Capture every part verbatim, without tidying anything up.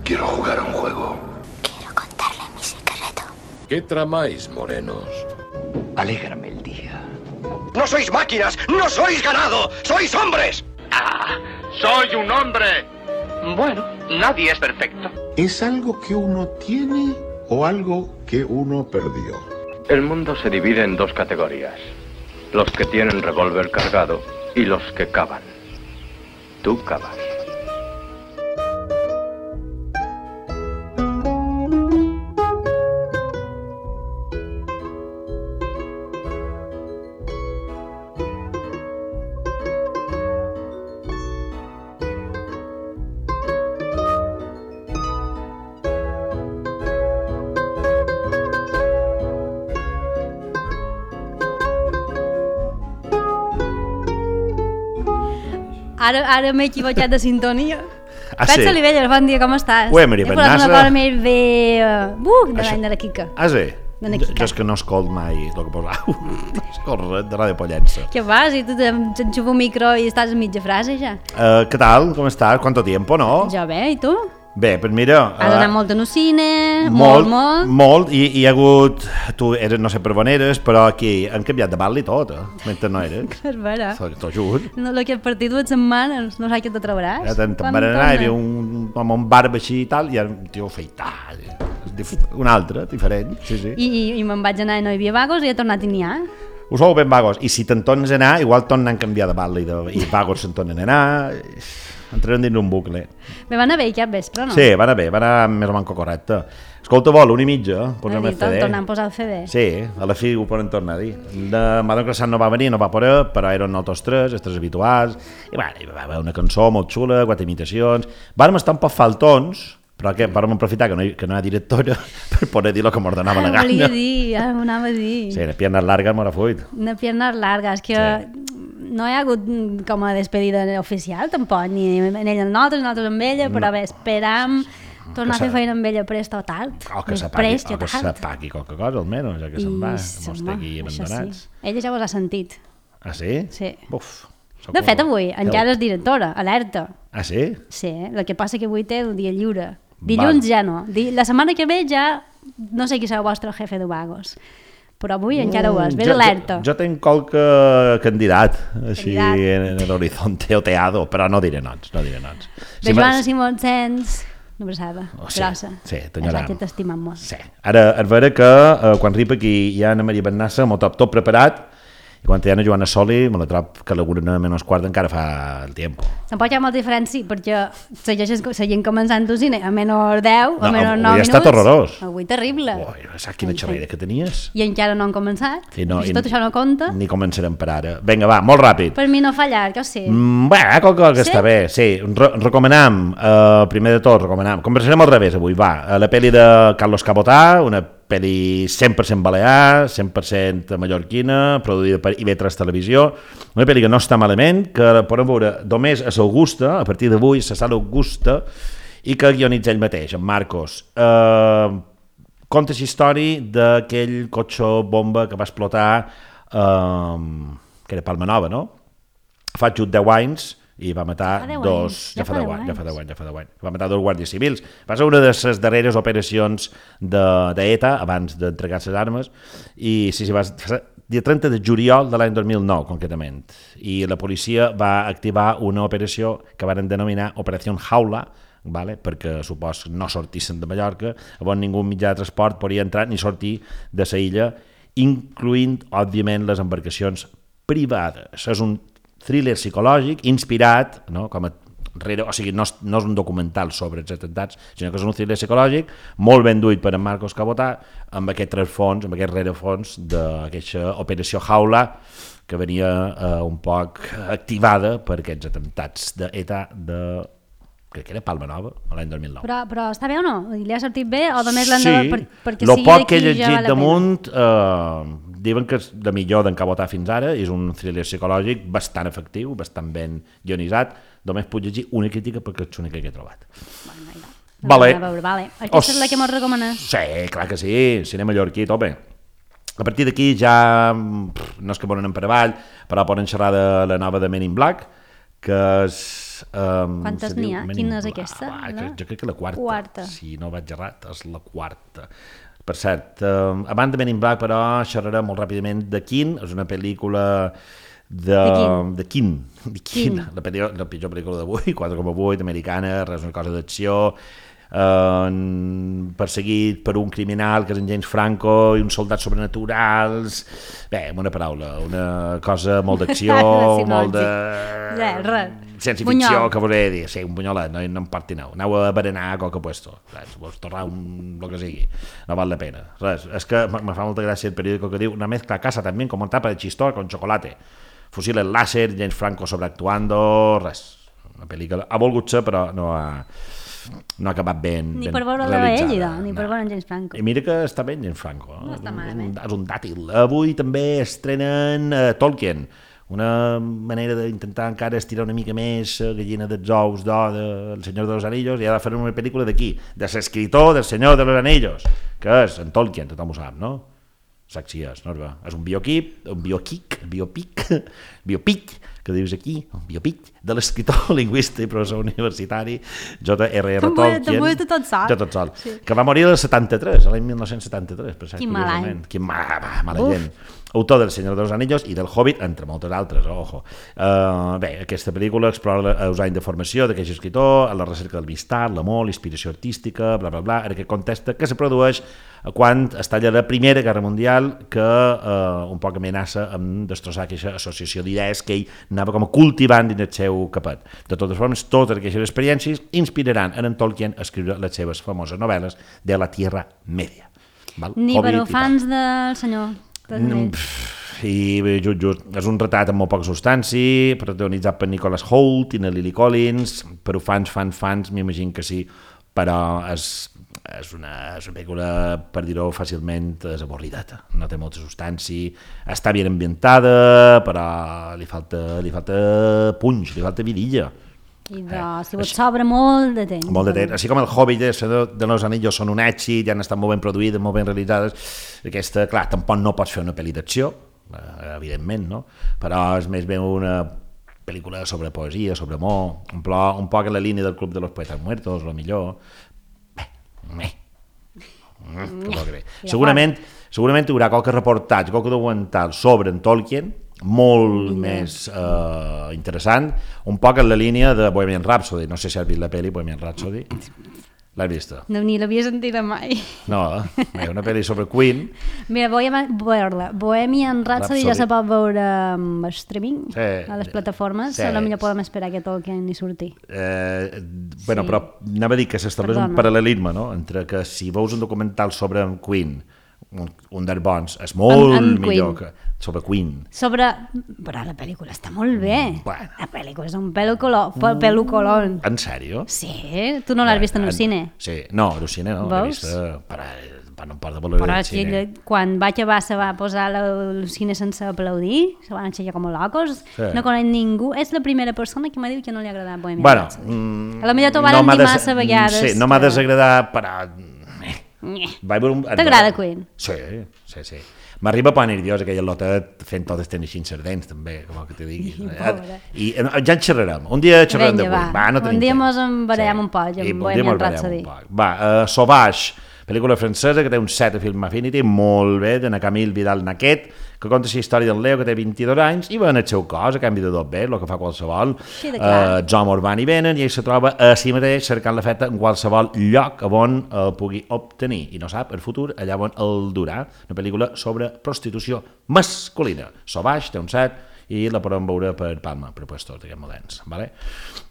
Quiero jugar a un juego. Quiero contarle mi secreto. ¿Qué tramáis, morenos? Alégrame el día. ¡No sois máquinas! ¡No sois ganado! ¡Sois hombres! ¡Ah! ¡Soy un hombre! Bueno, nadie es perfecto. ¿Es algo que uno tiene o algo que uno perdió? El mundo se divide en dos categorías. Los que tienen revólver cargado y los que cavan. Tú cavas. Ara, ara m'he equivocat de sintonia. Ah, Pets sí? Olivelles, bon dia, com estàs? Ué, Maria He posat Bernassa. una cosa més bé... Uh, de Això- l'any de la Quica. Ah, sí? De la Jo, Quica. jo és que no escolt mai el que posau. Escolta, de Ràdio Pollença. Què fas? I tu t'enxufa un micro i estàs a mitja frase, ja? Uh, què tal? Com estàs? ¿Cuánto tiempo, no? Jo bé, i tu? Bé, pues mira... Has eh, anat molt en el cine, molt, molt. Molt, i i hi ha hagut... Tu eres, no sé per on eres, però aquí han canviat de bal i tot, eh? Mentre no eres. És vera. T'ho juro. No, el que he partit dues setmanes, no saps què te trobaràs. Ja te'n Quan van anar, hi torna? havia un home amb barba així i tal, i ara un tio afeitat. Un altre, diferent, sí, sí. I, i, i me'n vaig anar i no hi havia vagos i he tornat i n'hi ha. Ho sou ben vagos. I si te'n tornes a anar, igual tornen a canviar de bal i, de, i vagos se'n tornen a anar. Entrem dins un bucle. Me va anar bé aquest vespre, no? Sí, va anar bé, va anar més o manco correcte. Escolta, vol, una i mitja, posem el C D. Tornant a posar el C D. Sí, a la fi ho poden tornar a dir. De Madame Croissant no va venir, no va poder, però eren nosaltres tres, els tres habituals, i bueno, hi va haver una cançó molt xula, quatre imitacions. Vàrem estar un poc faltons, però que vàrem aprofitar que no, hi, que no hi ha directora per poder dir el que m'ordenava la Ah, volia gana. dir, ara m'ho anava a dir. Sí, les piernas largas m'ho fuit. Una piernas largas, que Sí. no hi ha hagut com a despedida oficial tampoc, ni en ella amb nosaltres, nosaltres amb ella, però bé, esperam tornar a fer feina amb ella prest o tard. O que Més s'apagui, prest o o que tard. s'apagui qualque cosa, almenys, ja que se'n va, I, mos home, té aquí això abandonats. sí. Ella ja ho ha sentit. Ah, sí? Sí. Uf. sóc De fet, un- avui encara és directora, alerta. Ah, sí? Sí, el que passa que avui té el dia lliure. Dilluns Val. ja no. Di- La setmana que ve ja no sé qui serà el vostre jefe de vagos. Però avui encara ho és, Mm, ves jo- alerta. Jo, jo tenc qualque candidat, així Candidat. en, en l'horizonte oteado, però no diré noms, no diré noms. De m'ha- Joana Simón Sens, una abraçada, Oh, sí, grossa. sí, És t'enyorem. la que t'estimem molt. Sí. Ara, és vera que eh, quan ripa aquí hi ha Ana Maria Bernassa, m'ho top tot preparat, i quan hi ha Ana Joana Soli, me la trob que a l'una menys quart encara fa el tiempo. Tampoc hi ha molta diferència, perquè segueixes, seguim començant el cine a menys deu, a No, menys avui nou ha minuts. estat horrorós. Avui terrible. Ui, saps quina xerrera que tenies? I encara no han començat. I no, si i- tot això no compta, Ni començarem per ara. Vinga, va, molt ràpid. per mi no fa llarg, o sí. Mm, bé, qualque que Sí? està bé, sí. Re recomanam, eh, primer de tot, recomanam. Conversarem al revés avui, va. Eh, La pel·li de Carlos Cabotà, una pel·li cent per cent balear, cent per cent mallorquina, produïda per I V tres Televisió. Una pel·li que no està malament, que podem veure només a l'Augusta, a partir d'avui, a la sala Augusta, i que guionitza ell mateix, en Marcos. Eh, conta la història d'aquell cotxe bomba que va explotar, eh, que era Palma Nova, no? Fa just deu anys i va matar Ja fa deu dos... anys, Ja fa deu anys, ja fa deu anys, ja fa deu anys. Va matar dos guàrdies civils. Va ser una de les darreres operacions d'E T A abans d'entregar les armes i sí, sí, va ser dia trenta de juliol de l'any dos mil nou, concretament. I la policia va activar una operació que van denominar Operació Jaula, vale? Perquè supos no sortissin de Mallorca, on ningú mitjà de transport podia entrar ni sortir de la illa, incloent, òbviament, les embarcacions privades. És un thriller psicològic inspirat, no? Com a rere, o sigui, no és, no és un documental sobre els atemptats, sinó que és un thriller psicològic molt ben duit per en Marcos Cabotà, amb aquest rerefons, amb aquest rerefons d'aquesta operació Jaula que venia eh, un poc activada per aquests atemptats d'E T A de crec que era Palma Nova, l'any dos mil nou. Però, però està bé o no? Li ha sortit bé o només l'han Sí, de... Per, perquè el sigui poc que he d'aquí ja llegit val la damunt eh, diuen que és de millor d'en Cabotà fins ara, és un thriller psicològic bastant efectiu, bastant ben guionitzat, només puc llegir una crítica perquè és l'única que he trobat. pena. Vale. A veure, vale. Aquesta Os- és la que mos recomanes? Sí, clar que sí, cinema mallorquí, tope. A partir d'aquí ja, pff, no és que poden per avall, però poden xerrar de la nova de Men in Black, que és Um, Quantes se n'hi diu ha? Men in Quina és Black. aquesta? Ah, La? jo crec que la quarta. Quarta. Si no vaig errat, és la quarta. Per cert, um, abans de Men in Black, però, xerrarem molt ràpidament de Kin. És una pel·lícula de... De Kin. De Kin. La, pel·lícula, la pitjor pel·lícula d'avui, quatre coma vuit, americana, res, una cosa d'acció, eh, perseguit per un criminal que és en James Franco i uns soldats sobrenaturals. Bé, amb una paraula, una cosa molt d'acció, Sí, no, molt de... Res, res. Ciència Bunyol. ficció, que volia dir, sí, un bunyolet, no, no em partineu. Aneu a berenar a qualque puesto, res, vos torrar un... el que sigui, no val la pena. Res, és que me fa molta gràcia el periòdico que diu una mezcla a casa també con tapa de chistor con chocolate. Fusiles láser, James Franco sobreactuando, res. Una pel·lícula ha volgut ser, però no ha, no ha acabat ben, Ni ben per veure realitzada. ell, idò, ni per veure en James Franco. I mira que està bé James Franco. No està malament. És un dàtil. Avui també estrenen uh, Tolkien, una manera d'intentar encara estirar una mica més uh, Gallina dels ous d'or del Senyor de los Anillos, i ha de fer una pel·lícula d'aquí, de l'escriptor del Senyor de los Anillos, que és en Tolkien, tothom ho sap, no? Saps si és, no? És un bioquip, un bioquic, biopic, biopic, que dius aquí, un biopic de l'escriptor, lingüista i professor universitari J R R Tolkien. T'ho de tot sol. Jo tot sol. Sí. Que va morir el setanta-tres, l'any mil nou-cents setanta-tres. Per cert, Quin mal any. Quin mal, mala gent. Autor del Senyor dels Anillos i del Hobbit, entre moltes altres, ojo. Uh, bé, aquesta pel·lícula explora els anys de formació d'aquest escriptor, a la recerca del vistat, l'amor, l'inspiració artística, bla, bla, bla, en aquest context que se produeix quan es talla la Primera Guerra Mundial, que uh, un poc amenaça amb destrossar aquesta associació d'idees que ell anava com cultivant dins el seu capet. De totes formes, totes aquestes experiències inspiraran en Tolkien a escriure les seves famoses novel·les de la Tierra Media. Val? Ni Hobbit per i fans del senyor. Mm, pff, i just, just, és un retrat amb molt poca substància, protagonitzat per Nicholas Hoult i Lily Collins, però fans, fans, fans, m'imagino que sí, però és, és, una, és una pel·lícula, per dir-ho fàcilment, és avorrideta, no té molta substància, està ben ambientada, però li falta, li falta punx, li falta vidilla. I de, si vos sobra molt de temps. Molt de temps. Així com el Hobbit i el Senyor de los Anillos són un èxit, ja han estat molt ben produïdes, molt ben realitzades, aquesta, clar, tampoc no pots fer una pel·li d'acció, evidentment, no? Però és més ben una pel·lícula sobre poesia, sobre amor, un, plo, un poc en la línia del Club de los Poetas Muertos, o millor. Bé, bé. Mm, bé. Segurament, segurament hi haurà qualque reportatge, qualque documental sobre en Tolkien, molt yeah. més uh, interessant, un poc en la línia de Bohemian Rhapsody. No sé si has vist la pel·li Bohemian Rhapsody. L'has vista? No, ni l'havia sentida mai. No, eh? Una pel·li sobre Queen. Mira, Bohemian, Bohemian Rhapsody, Rhapsody ja se pot veure amb streaming, sí, a les plataformes, sí. A lo millor podem esperar que Tolkien hi surti. Eh, bueno, sí. Però anava a dir que s'estableix un paral·lelisme, no?, entre que si veus un documental sobre Queen, un, un dels bons, és molt en, en millor que sobre Queen. Sobre... Però la pel·lícula està molt bé. Bueno. La pel·lícula és un pel·lucolón. Pel·lucolón. En sèrio? Sí? Tu no l'has vist en un cine? Sí. No, en un cine no. L'he vist per, per no part de voler però el cine. Quan vaig a se va posar el cine sense aplaudir, se van aixecar com locos, sí. No conec ningú. És la primera persona que m'ha dit que no li ha agradat Bohemian bueno, Rhapsody. Mm, a la millor t'ho van no dir des... massa vegades. Sí, no m'ha que... desagradat, però... T'agrada Queen? Sí, sí, sí. M'arriba a poner nerviós aquella lotet fent totes tenir sardents, també, com que te digui. I, I ja en xerrarem. Un dia xerrarem de Queen. Va, no un dia mos en barallem sí. un poc amb Bohemian Rhapsody. Va, uh, Sauvage, pel·lícula francesa que té un set a Film Affinity, molt bé, de Camille Vidal-Naquet, que conta la història del Leo, que té vint-i-dos anys, i va en el seu cos, a canvi de tot bé, el que fa qualsevol. Sí, uh, els homes van i venen, i ell se troba a si mateix cercant la feta en qualsevol lloc on el pugui obtenir, i no sap el futur allà on el durà. Una pel·lícula sobre prostitució masculina. Sauvage té un set, i la podem veure per Palma, per puestos d'aquests moments. ¿Vale?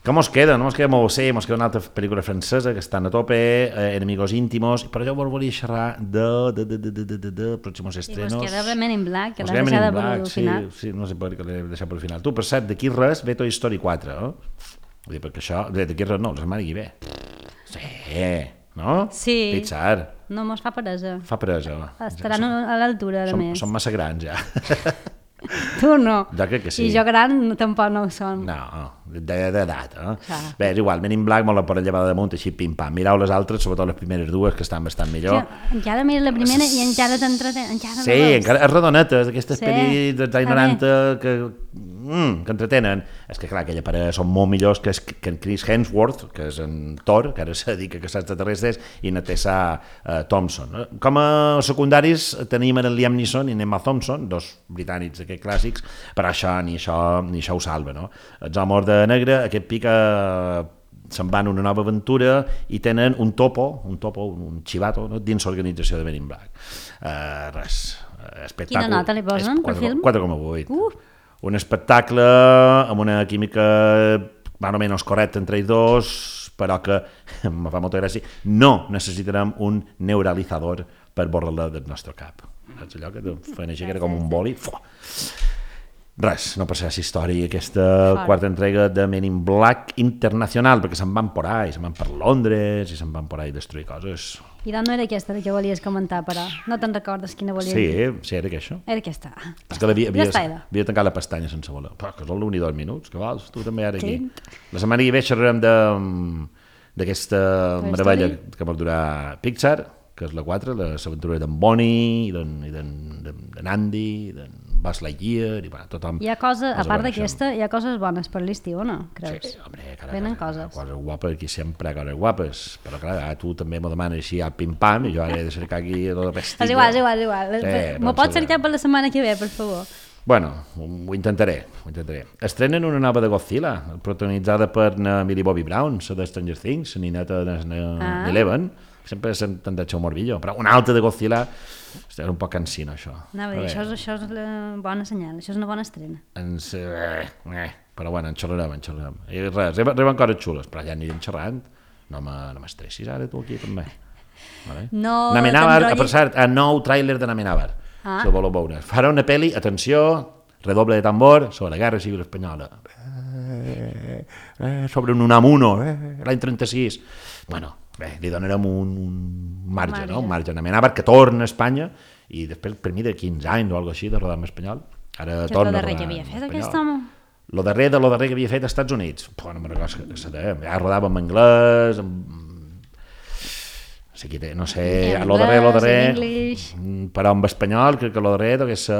Que mos queda? No mos queda molt sé, mos queda una altra pel·lícula francesa que estan a tope, eh, Enemigos íntimos, però jo volia xerrar de, de, de, de, de, de, de, de pròximos estrenos. I mos queda Men in Black, que l'has deixat per al final. Sí, sí, no sé per què l'he deixat per al final. Tu, per cert, d'aquí res ve Toy Story quatre, eh? Vull dir, perquè això, d'aquí res no, la setmana que ve. Sí, no? Sí. Pixar. No mos fa peresa. Fa peresa. Estaran a l'altura, a més. Som massa grans, ja. Tu no. Jo crec que sí. I jo gran tampoc no ho som. No, d'edat, eh? Ja. Bé, és igual, Men in Black molt la poden llevar damunt, així pim-pam. Mireu les altres, sobretot les primeres dues, que estan bastant millor. Sí, encara mires la primera i encara t'entretén. Sí, encara és redoneta, d'aquestes sí. pel·lis dels anys noranta que mm, que entretenen. És que, clar, aquella parella són molt millors que, que en Chris Hemsworth, que és en Thor, que ara se dedica a caçar extraterrestres, i en Tessa uh, Thompson. Com a secundaris tenim en Liam Neeson i en Emma Thompson, dos britànics aquests clàssics, però això ni això, ni això ho salva, no? Els homes de negre, aquest pica se'n van a una nova aventura i tenen un topo, un topo, un chivato, no? Dins l'organització de Men in Black. Uh, res, espectacle. Quina nota li posen per film? quatre coma vuit. Uh. Un espectacle amb una química més o menys correcta entre ells dos, però que em fa molta gràcia. No necessitarem un neuralitzador per borrar-la del nostre cap. Saps allò que feien així, que era com un boli? Fuà. Res, no passarà aquesta història, aquesta Fora. quarta entrega de Men in Black Internacional, perquè se'n van por ahí, se'n van per Londres i se'n van por ahí a destruir coses. I doncs no era aquesta que volies comentar, però no te'n recordes quina volies Sí, dir? sí, era aquesta. Era aquesta. És que havia, havia, Ja està, havia tancat la pestanya sense voler. Però que són l'un i dos minuts, que vols? Tu també ara aquí. Clint. La setmana que ve xerrarem de, d'aquesta Toy meravella Story? que pot durar Pixar, que és la quatre, les aventures d'en Bonnie, d'en, i d'en, d'en, d'en Andy, d'en Buzz Lightyear, i bueno, tothom... Hi ha coses, a els part coneixem. d'aquesta, hi ha coses bones per l'estiu, o no? Creus? Sí, hombre, cara, Venen cosa, coses. coses guapes, aquí sempre hi ha coses guapes, però clar, ara tu també m'ho demanes així a pim-pam, i jo ara he de cercar aquí tota la pestilla. És igual, és igual, és igual. Sí, M'ho doncs, pots cercar per la setmana que ve, per favor? Bueno, ho intentaré, ho intentaré. Estrenen una nova de Godzilla, protagonitzada per na Millie Bobby Brown, la de Stranger Things, la nineta de Ah. Eleven, sempre s'han de xau morbillo, però una altra de Godzilla, és un poc cansino, això. Anava a dir, això, és, això és la bona senyal, això és una bona estrena. Ens, eh, eh, però bueno, en xerrarem, en xerrarem. I res, arriben, arriben coses xules, però ja anirem xerrant. No me- no m'estressis ara tu aquí també. Vale? No Namenàvar, t'enrotllis. per cert, el nou tràiler de Namenàvar, Ah. si el voleu veure. Farà una pel·li, atenció, redoble de tambor, sobre la Guerra Civil Espanyola. Eh, eh, sobre un Unamuno, eh, l'any trenta-sis. Bueno, bé, li donarem un, un marge, marge. no? Un marge a Namenàvar, que torna a Espanya, i després, per mi, de quinze anys o alguna així, de rodar en espanyol. Ara Què és torna lo a darrer rodar que havia en fet espanyol. aquest home? Lo darrer de lo darrer que havia fet als Estats Units. Puh, no me'n recordo que se deia. Ja rodava en anglès, en... no sé, qui té, no sé, En lo darrer, lo anglès, darrer, en English. mm, però en espanyol crec que lo darrer deu ser...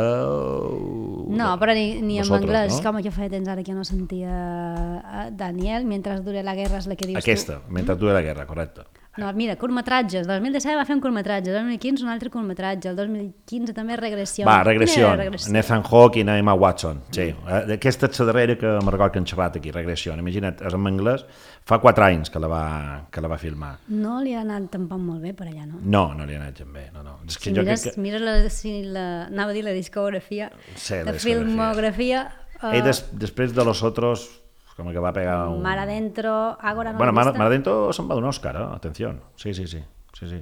No, però ni, ni en Vosotros, anglès, no? com que feia temps ara que no sentia a Daniel, mentre dure la guerra és la que dius Aquesta, tu. mentre dura la guerra, correcte. No, mira, curtmetratges, el dos mil disset va fer un curtmetratge, el dos mil quinze un altre curtmetratge, el dos mil quinze també regressió. Va, regressió, Quina regressió? Nathan Hawke i Emma Watson, sí. Eh, Aquesta és la darrera que me'n recordo que han xerrat aquí, regressió. Imagina't, és en anglès, fa quatre anys que la va, que la va filmar. No li ha anat tampoc molt bé per allà, no? No, no li ha anat gens bé, no, no. És que Si jo mires, crec que... mires la, si la, anava a dir la discografia, Sí, la la discografia. filmografia, Ell uh, des, després de los otros, com que va pegar un... Mar Adentro, Ágora no Bueno, l'he Mar, vista. Mar Adentro se'n va donar Òscar, eh? Atenció. Sí, sí, sí. sí, sí.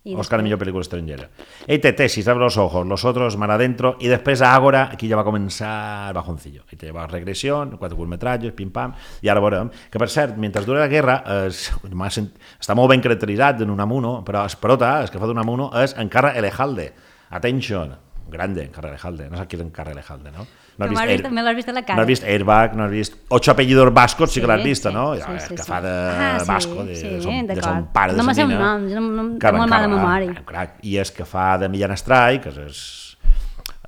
I Òscar a després? millor pel·lícula estrangera. Ell té Tesis, abre los ojos, los otros, Mar Adentro, i després a Ágora, aquí ja va començar el bajoncillo. I té va Regressió, quatre curtmetratges, pim-pam, i ara veurem. Que, per cert, mentre dura la guerra, es, sent, està molt ben caracteritzat en Unamuno, però es prota, el que fa d'Unamuno, és Encarra Elejalde. Attention, grande, Encarra Elejalde. No saps qui és Encarra Elejalde, no? No Però m'has vist- me l'has vist a la cara. No has vist Airbag, no has vist Ocho apellidos vascos, sí, Sí, que l'has vist, sí, no? sí, Ja, sí, que sí. fa de Ah, sí, vasco, de, sí, de, son, de d'acord. son pare de No me sé sa un nina. nom, jo no- no- Que tinc molt mala m'encava, memòria. eh, crac. I és que fa de Millán Astray, que és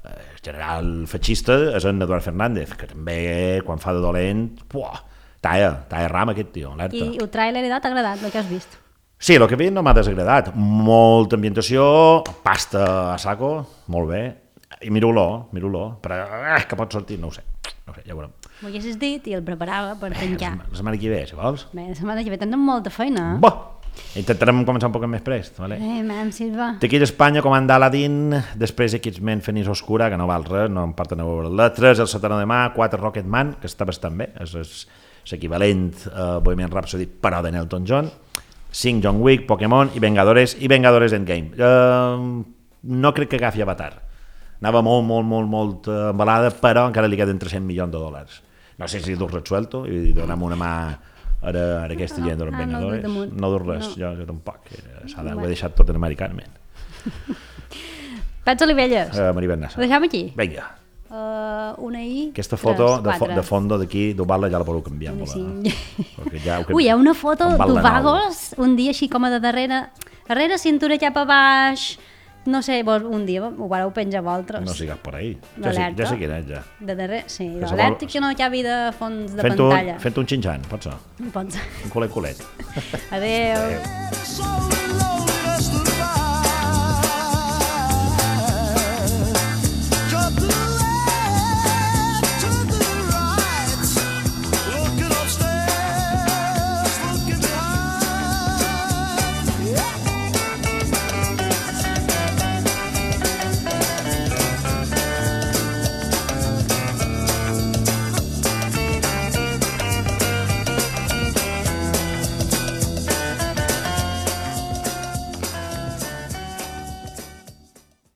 el general feixista, és en Eduard Fernández, que també, quan fa de dolent, puah, talla, talla ram aquest tio, alerta. I el tràiler t'ha agradat, el que has vist? Sí, el que veig no m'ha desagradat. Molta ambientació, pasta a saco, molt bé, i miro-lo, miro-lo, però eh, que pot sortir, no ho sé, no ho sé, ja ho veurem. M'ho haguessis dit i el preparava per penjar. La setmana que ve, si vols. Bé, la setmana que ve tenen molta feina. Bo! Intentarem començar un poc més prest, vale? Eh, mam, Silva. D'aquí d'Espanya, comanda Aladdin, després X-Men Fenix Oscura, que no val res, no em porten a veure-la, tres el setanta de mà, quatre Rocketman, que està bastant bé, és, és l'equivalent a Bohemian Rhapsody, però de Elton John, cinc John Wick, Pokémon i Vengadores, i Vengadores Endgame. Uh, no crec que agafi Avatar. Anava molt, molt, molt, molt uh, embalada, però encara li queden tres-cents milions de dòlars. No sé si dur resuelto i donem una mà ara, ara aquesta gent dels Ah, no, Vengadores. no, damunt. No dur res, No. jo, jo tampoc. eh, S'ha de, ho he deixat tot en americanament. Pets Olivelles. Uh, Maribel Nassa. Ho deixem aquí? Vinga. Uh, una I, Aquesta tres, foto de, fo quatre. de fondo d'aquí d'Ovala ja la podeu canviar. Una Amb cinc. la, ja, ho que- Ui, hi ha una foto amb Val de Nou. d'Ovagos, un dia així com a de darrere, darrere cintura cap a baix, no sé, vos un dia ho vareu penjar vosaltres. No sigues per ahí. Ja sé, ja sé quin és, ja. De darrere, sí, Que se l'alèrtic vol- que no acabi de fons de Fent pantalla. un, fent un xinxan, pot ser. Pot ser. Un culet culet. Adéu. Adéu.